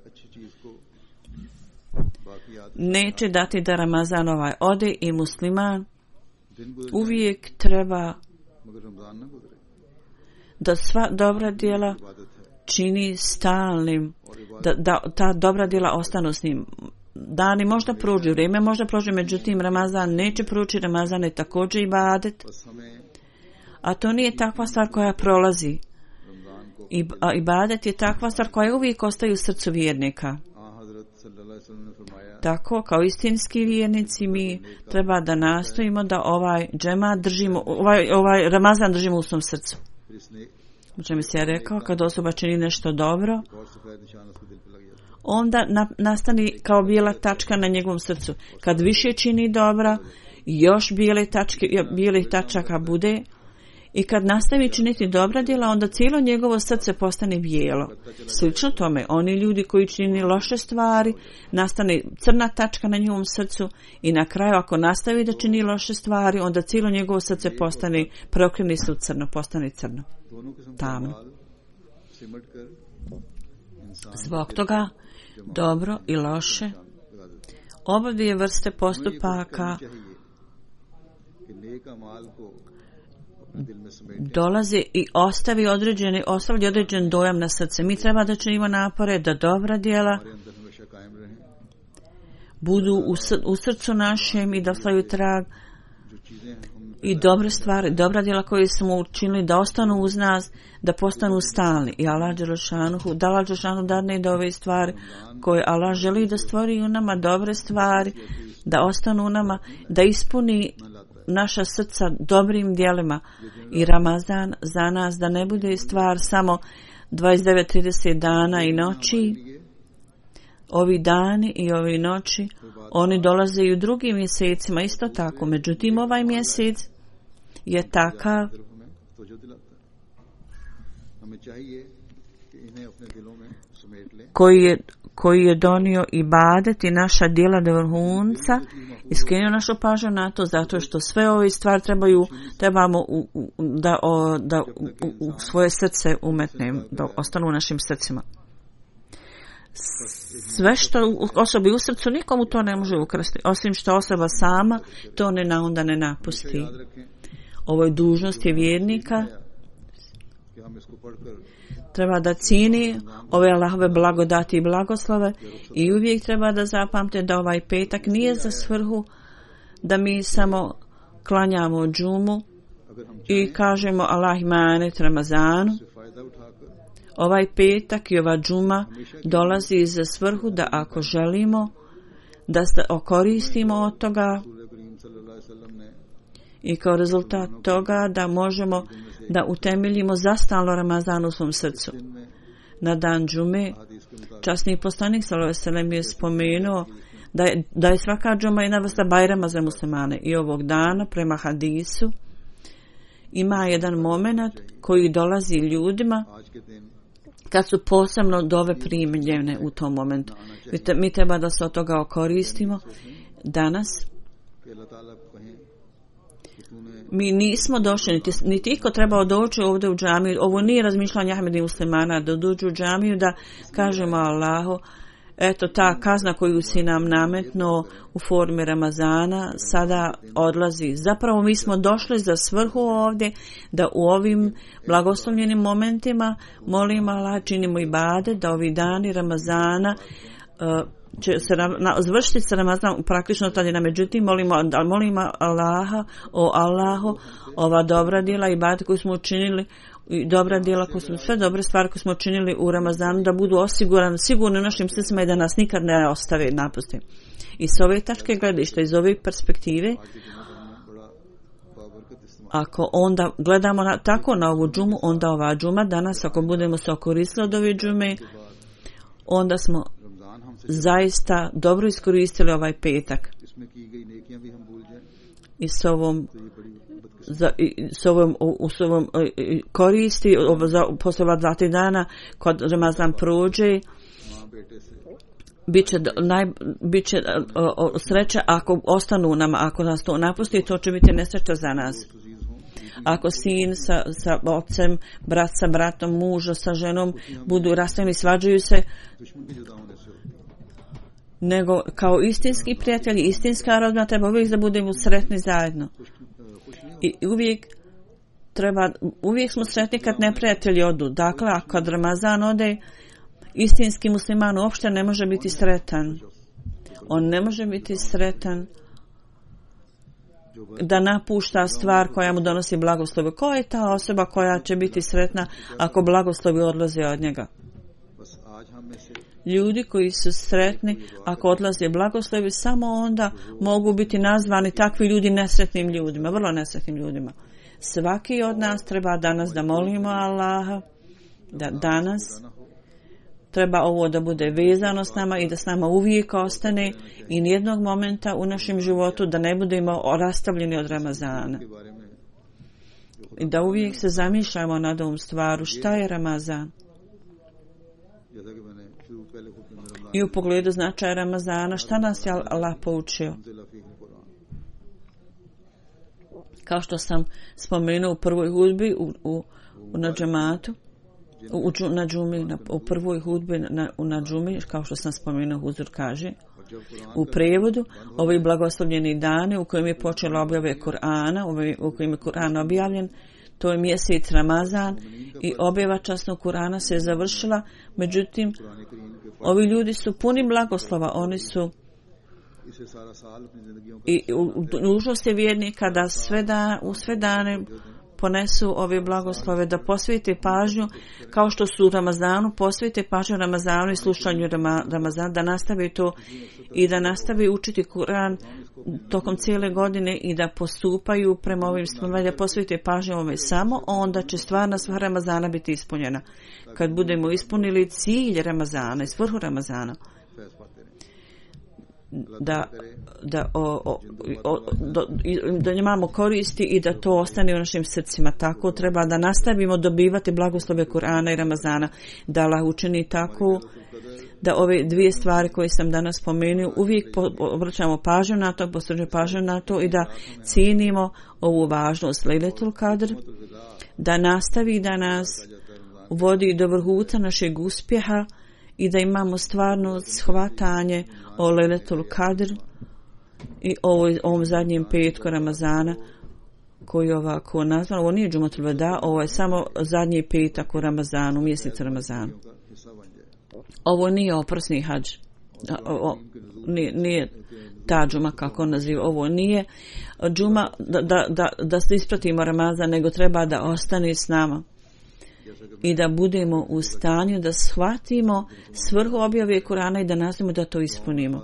Speaker 2: neće dati da Ramazan ovaj ode i musliman uvijek treba da sva dobra djela čini stalnim, da, da ta dobra djela ostanu s njim. Dani možda prođu, vrijeme možda prođe, međutim Ramazan neće proći, Ramazan je također ibadet. A to nije takva stvar koja prolazi. I, a ibadet je takva stvar koja uvijek ostaje u srcu vjernika. Tako, kao istinski vjernici, mi treba da nastojimo da ovaj džema držimo, ovaj, ovaj Ramazan držimo u svom srcu. O čemu se ja rekao, kad osoba čini nešto dobro, onda na, nastani kao bijela tačka na njegovom srcu. Kad više čini dobra, još bijele tačke, bijelih tačaka bude. I kad nastavi činiti dobra djela, onda cijelo njegovo srce postane bijelo. Slično tome, oni ljudi koji čini loše stvari, nastane crna tačka na njegovom srcu i na kraju ako nastavi da čini loše stvari, onda cijelo njegovo srce postane, preokrene se u crno, postane crno, tamno. Zbog toga, dobro i loše, oba dvije vrste postupaka dolazi i ostavi određeni, ostavi određen dojam na srce. Mi treba da činimo napore da dobra djela budu u, sr- u srcu našem i da ostavaju trag i dobre stvari, dobra djela koje smo učinili da ostanu uz nas, da postanu stalni. I Allah Đelešanuhu, da Allah Đelešanuhu dadne da ove stvari koje Allah želi da stvori u nama, dobre stvari, da ostanu u nama, da ispuni naša srca dobrim djelima. I Ramazan za nas da ne bude stvar samo dvadeset devet trideset dana i noći. Ovi dani i ovi noći, oni dolaze i u drugim mjesecima isto tako. Međutim, ovaj mjesec je takav koji je, koji je donio ibadet i naša djela do vrhunca i skrenuo našu pažnju na to, zato što sve ove stvari trebaju, trebamo u, u, da, o, da u, u svoje srce umetnemo, da ostanu u našim srcima. Sve što osobi u srcu nikomu to ne može ukrasti, osim što osoba sama to ne na onda ne napusti. Ovo je dužnost je vjernika. Treba da cijeni ove Allahove blagodati i blagoslove i uvijek treba da zapamte da ovaj petak nije za svrhu da mi samo klanjamo džumu i kažemo Allah imanet Ramazanu. Ovaj petak i ova džuma dolazi za svrhu da ako želimo da se okoristimo od toga i kao rezultat toga da možemo da utemeljimo zastalno Ramazan u svom srcu. Na dan džume časni poslanik sallallahu alejhi ve sellem je spomenuo da je, da je svaka džuma jedna vrsta bajrama za muslimane i ovog dana prema hadisu ima jedan moment koji dolazi ljudima kad su posebno dove primljene u tom momentu. Mi treba da se od toga okoristimo. Danas mi nismo došli, niti, niti iko trebao doći ovdje u džamiju. Ovo nije razmišljanje Ahmedi muslimana da dođu u džamiju da kažemo Allahu, eto ta kazna koju si nam nametnuo u formi Ramazana sada odlazi. Zapravo mi smo došli za svrhu ovdje da u ovim blagoslovljenim momentima molimo Allah, činimo ibadet, da ovi dani Ramazana uh, će se na, zvršiti se Ramazan praktično tada. Međutim, molimo, molimo Allaha, o Allahu, ova dobra djela i ibadet koju smo učinili i dobra djela, koje smo, sve dobre stvari koje smo učinili u Ramazanu da budu osigurane, sigurno u našim srcima i da nas nikad ne ostave, napusti. I s ove tačke gledišta, iz ove perspektive, ako onda gledamo na, tako na ovu džumu, onda ova džuma danas, ako budemo se okoristili od ove džume, onda smo zaista dobro iskoristili ovaj petak. I s ovom za, i, s ovom, u, s ovom i, koristi za, posle ova dva, tri dana kad Ramazan prođe bit će, naj, bit će o, o, sreća ako ostanu nama, ako nas to napusti, to će biti nesreća za nas. Ako sin sa, sa ocem, brat sa bratom, muž sa ženom budu rastavljeni, svađaju se, nego kao istinski prijatelji, istinska rodbina treba uvijek da budemo sretni zajedno. I uvijek treba, uvijek smo sretni kad neprijatelji odu. Dakle, ako kad Ramazan ode, istinski musliman uopšte ne može biti sretan. On ne može biti sretan da napušta stvar koja mu donosi blagoslovi. Ko je ta osoba koja će biti sretna ako blagoslovi odlaze od njega? Ljudi koji su sretni ako odlaze blagoslovi, samo onda mogu biti nazvani takvi ljudi nesretnim ljudima, vrlo nesretnim ljudima. Svaki od nas treba danas da molimo Allaha, da danas treba ovo da bude vezano s nama i da s nama uvijek ostane i nijednog momenta u našem životu da ne budemo rastavljeni od Ramazana. I da uvijek se zamišljamo nad ovom stvaru, šta je Ramazan? I u pogledu značaja Ramazana, šta nas je Allah poučio? Kao što sam spomenuo u prvoj hudbi u, u, u na džematu, u, u, na džumi, na, u prvoj hudbi na, u, na džumi, kao što sam spomenuo, huzur kaže, U prijevodu, ovi blagoslovljeni dani u kojem je počela objave Kur'ana, u kojem je Kur'an objavljen, to je mjesec Ramazan i objava časnog Kur'ana se je završila, međutim, ovi ljudi su puni blagoslova, oni su i nužnost je vjernika da sve da, u sve dane ponesu ove blagoslove, da posvete pažnju kao što su u Ramazanu, posvete pažnju Ramazanu i slušanju Ramazana, da nastave to i da nastave učiti Kur'an tokom cijele godine i da postupaju prema ovim stvarima, da posvete pažnju ovome samo, onda će stvarna svrha Ramazana biti ispunjena. Kad budemo ispunili cilj Ramazana i svrhu Ramazana, da da o, o, o, do, da imamo koristi i da to ostane u našim srcima. Tako treba da nastavimo dobivati blagoslove Kur'ana i Ramazana, da Allah učini tako da ove dvije stvari koje sam danas spomenuo uvijek po, obraćamo pažnju na to, posvećujemo pažnju na to i da cijenimo ovu važnost Lejletul Kadr, da nastavi da nas vodi do vrhuca našeg uspjeha i da imamo stvarno shvatanje o Lejletul Kadr i ovoj, ovom zadnjem petku Ramazana koji je ovako nazvan. Ovo nije Džumatul Veda, ovo je samo zadnji petak u Ramazanu, mjesecu Ramazanu. Ovo nije oprosni hadž. Nije, nije ta džuma kako on naziva. Ovo nije džuma da, da, da, da se ispratimo Ramazan, nego treba da ostane s nama i da budemo u stanju da shvatimo svrhu objave Kur'ana i da nastavimo da to ispunimo.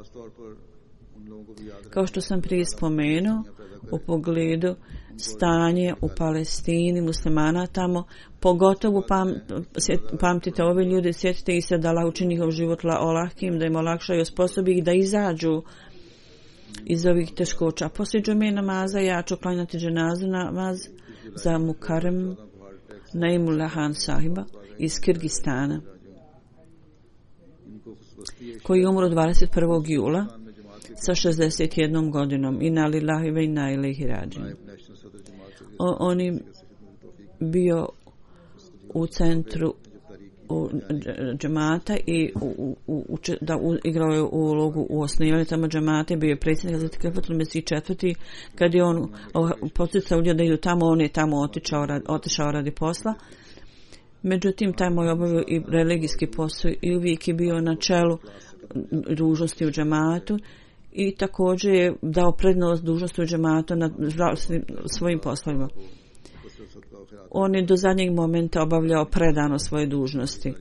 Speaker 2: Kao što sam prije spomenuo, u pogledu stanje u Palestini, muslimana tamo, pogotovo pam, pamtite ove ljude, sjetite ih se da Allah učini njihov život olahkim, da im olakša i osposobi ih da izađu iz ovih teškoća. Poslije džume namaza ja ću klanjati dženazu namaz za Mukarrem Naimullah Han sahiba iz Kirgistana, koji je umro dvadeset prvog jula sa šezdeset jednom godinom. Inna lillahi ve inna ilaihi rađin. On je bio u centru u džemata i u, u, u, da u, igrao je ulogu u osnivanju tamo džemata, bio je predsjednik za Krefatul Mesih četvrti. Kad je on poticao ljudi da idu tamo, on je tamo otišao, otišao radi posla. Međutim, tamo je obavio i religijski posao i uvijek je bio na čelu dužnosti u džematu i također je dao prednost dužnosti u džematu nad svojim poslovima. On je do zadnjeg momenta obavljao predano svoje dužnosti.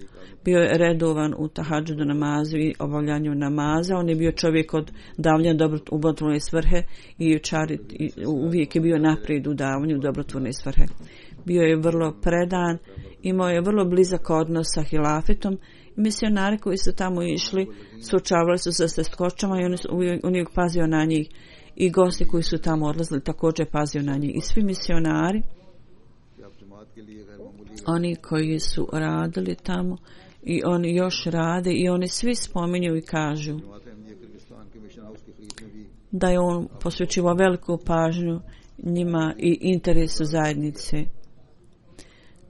Speaker 2: Bio je redovan u tahadžudu namazu i obavljanju namaza. On je bio čovjek od davanja dobrotvorne svrhe i, čari, i uvijek je bio naprijed u davanju dobrotvorne svrhe. Bio je vrlo predan, imao je vrlo blizak odnos sa hilafetom. Misionari koji su tamo išli suočavali su se sa teškoćama i on, on je pazio na njih. I gosti koji su tamo odlazili također pazio na njih. I svi misionari, oni koji su radili tamo i oni još rade i oni svi spominju i kažu da je on posvećivao veliku pažnju njima i interesu zajednice.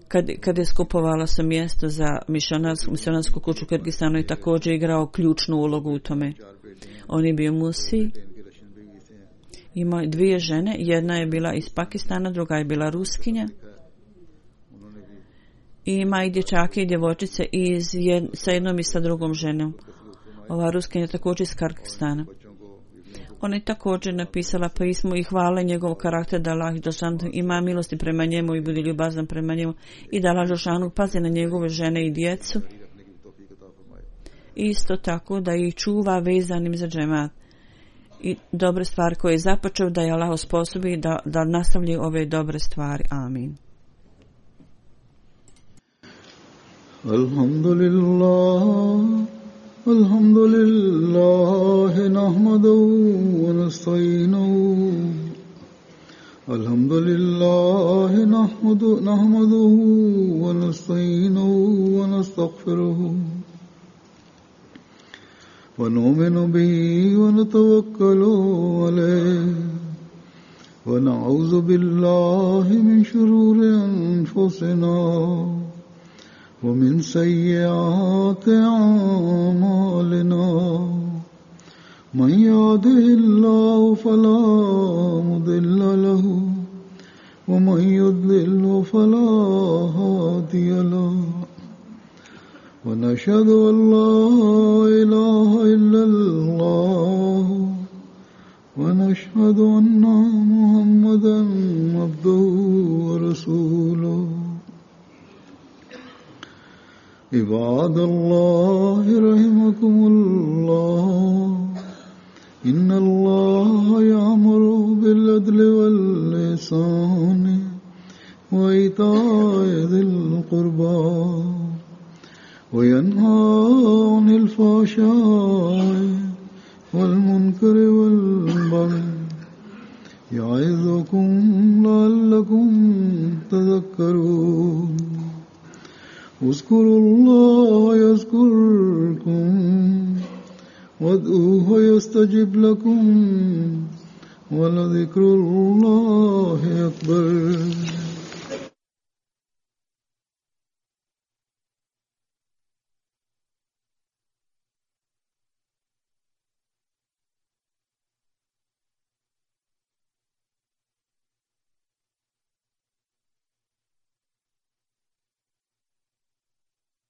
Speaker 2: Kad, kad je skupovala se mjesto za misionarsku, misionarsku kuću u Kirgistanu i također igrao ključnu ulogu u tome. On je bio musi. Imao dvije žene, jedna je bila iz Pakistana, druga je bila Ruskinja. I ima i dječake i djevojčice iz jed, sa jednom i sa drugom ženom. Ova Ruskinja je također iz Kirgistana. Ona je također napisala pismo i hvale njegov karakter da Allah Đelešanu ima milosti prema njemu i bude ljubazan prema njemu i da Allah Đelešanu pazi na njegove žene i djecu. Isto tako da ih čuva vezanim za džemat. I dobre stvari koje je započeo da je Allah osposobi da, da nastavlja ove dobre stvari. Amin.
Speaker 1: Alhamdulillah. الحمد لله نحمده ونستعينه الحمد لله نحمده نحمده ونستعينه ونستغفره ونؤمن به ونتوكل عليه ونعوذ بالله من شرور أنفسنا ومن سيئات أعمالنا من يهده الله فلا مضل له ومن يضلل فلا هادي له ونشهد أن لا إله إلا الله ونشهد أن محمدا عبده ورسوله عباد الله رحمكم الله إن الله يأمر بالعدل والإحسان وإيتاء ذي القربى وينهى عن الفحشاء والمنكر والبغي يعظكم لعلكم تذكرون اذكروا الله يذكركم وادعوه يستجب لكم ولذكر الله أكبر